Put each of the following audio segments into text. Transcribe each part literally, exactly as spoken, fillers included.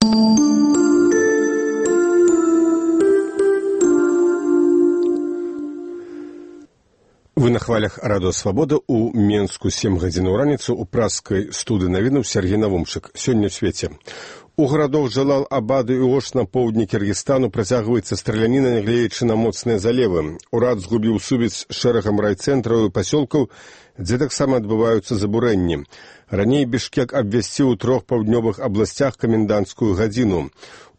Вы на хвалях радыё «Свабода» у Менску сем гадзін у раніцу у праскай студыі навінаў Сергей Навумчык. Сёння ў свеце. У гарадах Джалал-Абаду і Ош на поўдні Кіргізстану працягваецца страляніна, нягледзячы на моцныя залевы. Урад згубіў сувязь з шэрагам райцэнтраў і пасёлкаў, дзе таксама адбываюцца забурэнні. Раней Бішкек абвясціў у трох паўднёвых абласцях каменданцкую гадзіну.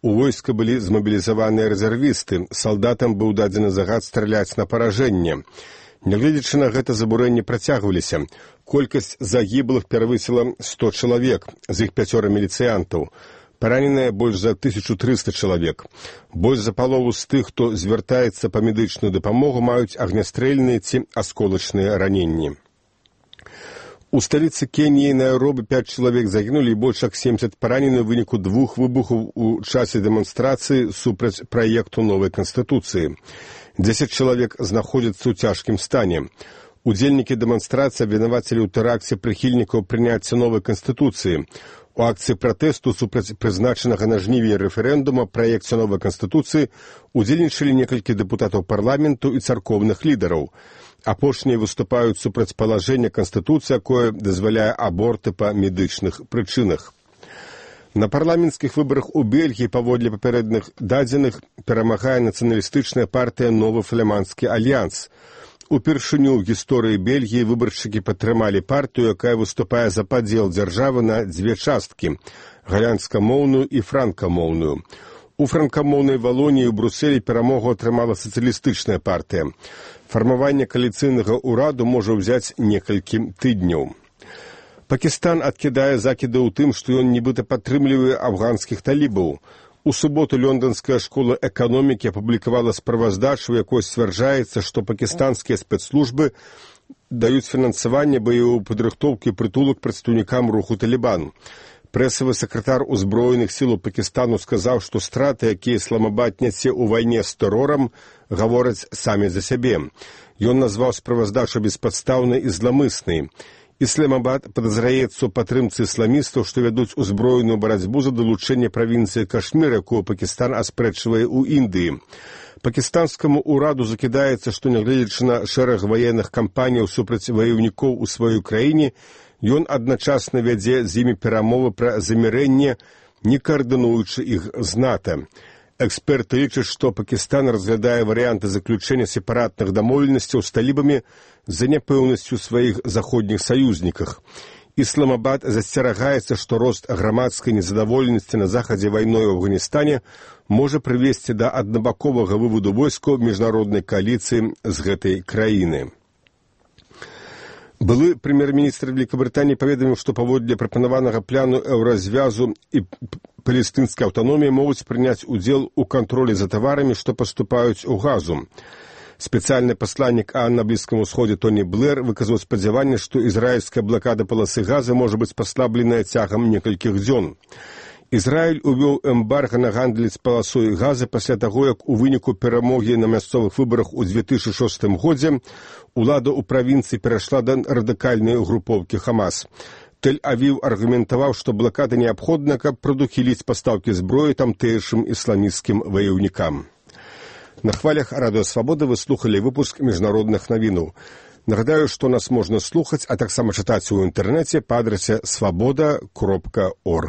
У войска былі змабілізаваныя рэзервісты. Салдатам быў дадзены загад страляць на паражэнне. Нягледзячы на гэта, забурэнні працягваліся. Колькасць загіблых перавысіла сто чалавек, з іх пяцёра міліцыянтаў. Параненыя больш за тысячу трыста чалавек. Больш за палову з тых, хто звяртаецца па медычную дапамогу, маюць агнястрэльныя ці асколачныя раненні. У сталіцы Кеніі Найробі пяць чалавек загінулі і больш як семдзесят паранены ў выніку двух выбухаў у часе дэманстрацыі супраць праекту новай канстытуцыі. Дзесяць чалавек знаходзяцца ў цяжкім стане. Удзельнікі дэманстрацыі абвінавацілі ў тэракце прыхільнікаў прыняцця новай канстытуцыі. У акцыі пратэсту супраць прызначанага на жнівені рэферэндума праекце новай канстытуцыі удзельнічалі некалькі дэпутатаў парламенту і царкоўных лідараў. Апошнія выступаюць супраць палажэння канстытуцыі, якое дазваляе аборты па медычных прычынах. На парламенцкіх выбарах у Бельгіі, паводле папярэдных дадзеных, перамагае нацыяналістычная партыя «Новы фламандскі альянс». Упершыню ў гісторыі Бельгіі выбаршчыкі падтрымалі партыю, якая выступае за падзел дзяржавы на дзве часткі – галандскамоўную і франкамоўную. У франкамоўнай Валоніі ў Брусэлі перамогу атрымала сацыялістычная партыя. Фармаванне кааліцыйнага ўраду можа ўзяць некалькі тыдняў. Пакістан адкідае закіды ў тым, што ён нібыта падтрымлівае афганскіх талібаў. У суботу Лёнданская школа эканомікі апублікавала справаздачу, у якой сцвярджаецца, што пакістанскія спецслужбы даюць фінансаванне баявой падрыхтоўкі і прытулак прадстаўнікам руху «Талібан». Прэсавы сакратар узброеных сілаў Пакістану сказаў, што страты, якія Ісламабад нясе ў вайне з тэрорам, гавораць самі за сябе. Ён назваў справаздачу беспадстаўнай і зламыснай. Ісламабад падазраецца ў падтрымцы ісламістаў, што вядуць узброеную барацьбу за далучэнне правінцыі Кашмір, якую Пакістан аспрэчвае ў Індыі. Пакістанскаму ўраду закідаецца, што нягледзячы на шэраг ваенных кампаніяў супраць ваяўнікоў у сваёй краіне, ён адначасна вядзе з імі перамовы пра замірэнне, не каардынуючы іх з НАТО. Эксперты лічаць, што Пакістан разглядае варыянты заключэння сепаратных дамоўленасцяў з талібамі з-за няпэўнасцю сваіх заходніх саюзніках. Ісламабад засцерагаецца, што рост грамадскай незадаволенасці на захадзе вайной у Афганістане можа прывесці да аднабаковага выводу войскаў міжнароднай кааліцыі з гэтай краіны. Былы прэм'ер-міністр Вялікабрытаніі паведаміў, што паводле прапанаванага плану еўразвязу і палестынскай аўтаноміі могуць прыняць удзел у кантролі за таварамі, што паступаюць у Газу. Спецыяльны пасланнік ААН на Блізкім Усходзе Тоні Блэр выказаў спадзяванне, што ізраільская блакада паласы Газы можа быць паслабленая цягам некалькіх дзён. Ізраіль увёў эмбарга на гандаль з паласой Газы пасля таго, як у выніку перамогі на мясцовых выбарах у дзве тысячы шостым годзе улада ў правінцыі перайшла да радыкальнай групоўкі Хамас. Тель-Авіў аргументаваў, што блакада неабходна, каб прадухіліць пастаўкі зброі тамтэйшым ісламісцкім ваяўнікам. На хвалях радыё «Свабода» вы слухалі выпуск міжнародных навінаў. Нагадаю, што нас можна слухаць, а таксама чытаць у інтэрнэце па адрасе свабода кропка орг.